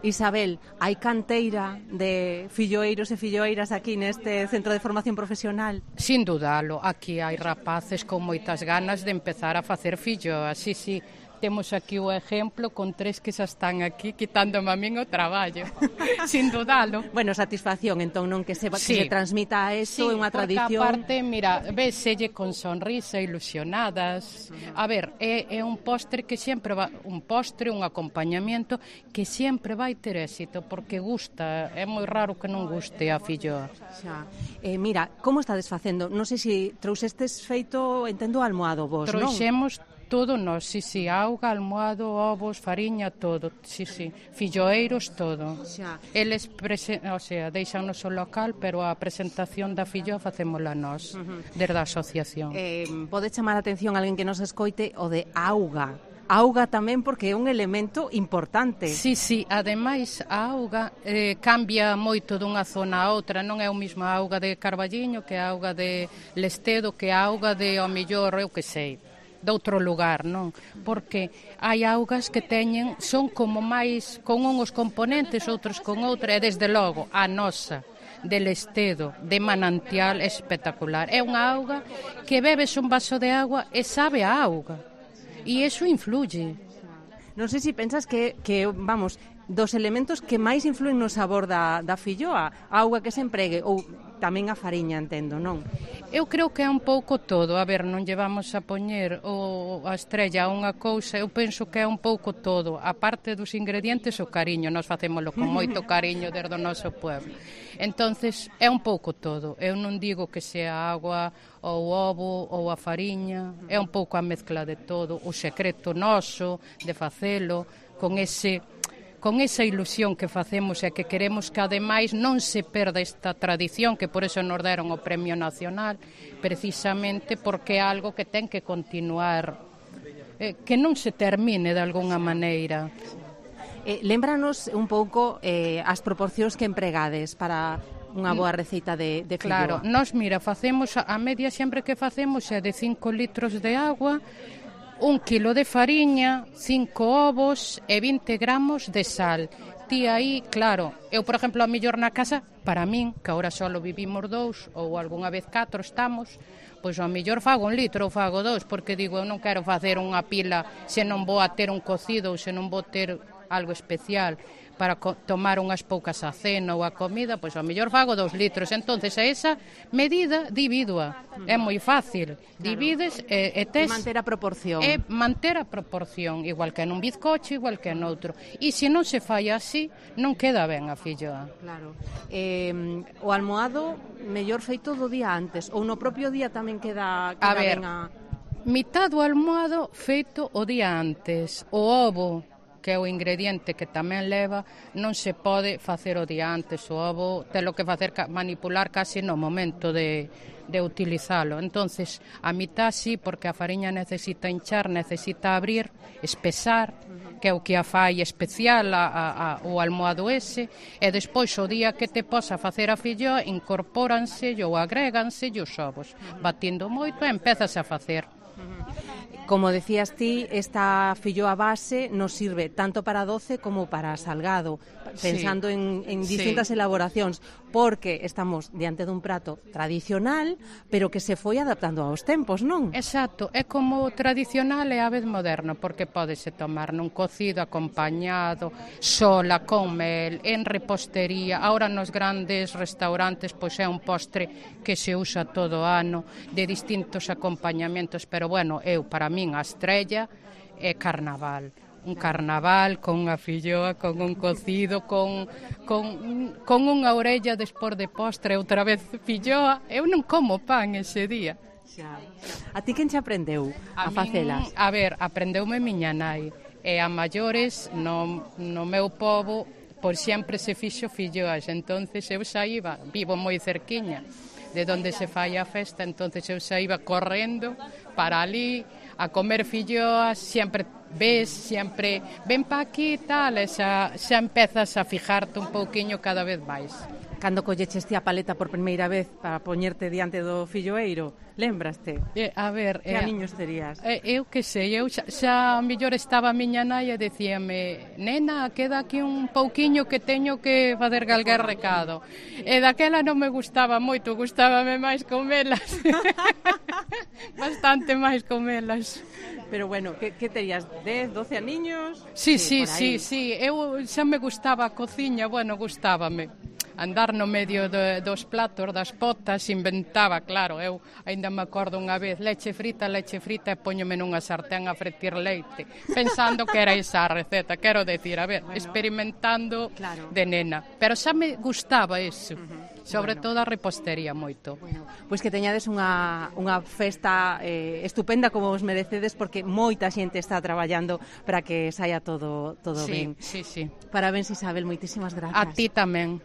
Isabel, hai canteira de filloeiros e filloeiras aquí neste centro de formación profesional? Sin dudalo, aquí hai rapaces con moitas ganas de empezar a facer filloas, sí. Temos aquí o exemplo con 3 que xa están aquí quitándome a min o traballo, sin dudalo. Bueno, satisfacción, entón, non que se transmita a eso, é unha tradición. Sí, porque aparte, mira, véselle con sonrisa, ilusionadas. A ver, é un postre que sempre va, un postre, un acompañamiento que sempre vai ter éxito, porque gusta, é moi raro que non guste a filloa. Xa. Mira, como estades facendo? Non sei se trouxestes feito, entendo, almohado vos, non? Trouxemos todo nós, sí, auga, almohado, ovos, fariña, todo, sí, filloeiros, todo. Xa. Eles, deixanos o local, pero a presentación da filloa facémola nós, desde a asociación. Pode chamar a atención alguén que nos escoite o de auga. Auga tamén porque é un elemento importante. Sí, ademais a auga cambia moito dunha zona a outra, non é o mesmo a auga de Carballiño que a auga de Lestedo, que a auga de, ao mellor, eu que sei, de outro lugar, non? Porque hai augas que son como máis con uns componentes, outros con outra, e desde logo a nosa de Lestedo, de manantial, espectacular. É unha auga que bebes un vaso de agua e sabe a auga, e iso influye. Non sei se pensas que vamos, dos elementos que máis influen no sabor da filloa, a auga que se empregue, ou tamén a fariña, entendo, non? Eu creo que é un pouco todo. A ver, non llevamos a poñer a estrella a unha cousa, eu penso que é un pouco todo. A parte dos ingredientes, o cariño, nós facémolo con moito cariño desde o noso pueblo. Entonces, é un pouco todo. Eu non digo que sea a agua ou o ovo ou a fariña, é un pouco a mezcla de todo. O secreto noso de facelo con esa ilusión que facemos e que queremos que ademais non se perda esta tradición, que por eso nos deron o Premio Nacional, precisamente porque é algo que ten que continuar, que non se termine de algunha maneira. Lémbranos un pouco as proporcións que empregades para unha boa receita de filloa. Claro, nós, mira, facemos a media sempre que facemos é de 5 litros de agua, 1 kilo de fariña, 5 ovos e 20 gramos de sal. Ti aí, claro, eu, por exemplo, a mellor na casa, para min, que agora só vivimos 2 ou algunha vez 4 estamos, pois ao mellor fago 1 litro ou fago 2, porque digo, eu non quero facer unha pila se non vou a ter un cocido ou se non vou ter algo especial para tomar unhas poucas a cena ou a comida, pois ao mellor fago 2 litros. Entonces, a esa medida divídoa. É moi fácil. Divides e tes... E manter a proporción. É manter a proporción, igual que nun bizcocho, igual que noutro. E se non se fai así, non queda ben a filloa. Claro. O almohado, mellor feito do día antes, ou no propio día tamén queda ben a... Mitad do almohado feito o día antes. O ovo, que é o ingrediente que tamén leva, non se pode facer o día antes. O ovo telo que facer manipular casi no momento de utilizalo. Entonces, a mitad sí, porque a fariña necesita hinchar, necesita abrir, espesar, que é o que a fai especial o almohado ese, e despois o día que te posa facer a filloa incorpóranse ou agréganse os ovos, batindo moito e empezas a facer. Como decías ti, esta filloa base nos sirve tanto para doce como para salgado, pensando en distintas elaboracións, porque estamos diante dun prato tradicional, pero que se foi adaptando aos tempos, non? Exacto, é como tradicional e a vez moderno, porque pódese tomar nun cocido, acompañado, sola, con mel, en repostería. Ahora nos grandes restaurantes pois é un postre que se usa todo o ano, de distintos acompañamentos, pero bueno, para min a estrella é carnaval. Un carnaval con unha filloa, con un cocido, con unha orella despois de postre, outra vez filloa. Eu non como pan ese día. Xa. A ti quen te aprendeu a facelas? A ver, aprendeume miña nai. E a maiores, no meu pobo, por sempre se fixo filloas. Entonces eu xa iba, vivo moi cerquiña de onde se fai a festa, entonces eu xa iba correndo para ali a comer filloas, sempre ven pa aquí e tal, e xa empezas a fijarte un pouquiño cada vez máis. Cando colleches ti a paleta por primeira vez para poñerte diante do filloeiro, lembraste? A ver... Que aniños terías? Eu que sei, eu xa mellor estaba a miña nai e decíame, nena, queda aquí un pouquiño que teño que fazer calquer recado. E daquela non me gustaba moito, gustábame máis comelas. Bastante máis comelas. Pero bueno, que terías? 10, 12 aniños? Sí, eu xa me gustaba a cociña, bueno, gustábame. Andar no medio dos platos, das potas, inventaba, claro, eu aínda me acordo unha vez, leche frita e póñome nunha sartén a fretir leite, pensando que era esa a receta, quero decir, a ver, experimentando de nena, pero xa me gustaba eso, sobre todo a repostería moito. Pois que teñades unha festa estupenda como vos merecedes, porque moita xente está traballando para que saia todo ben. Sí. Parabéns, Isabel, moitísimas grazas. A ti tamén.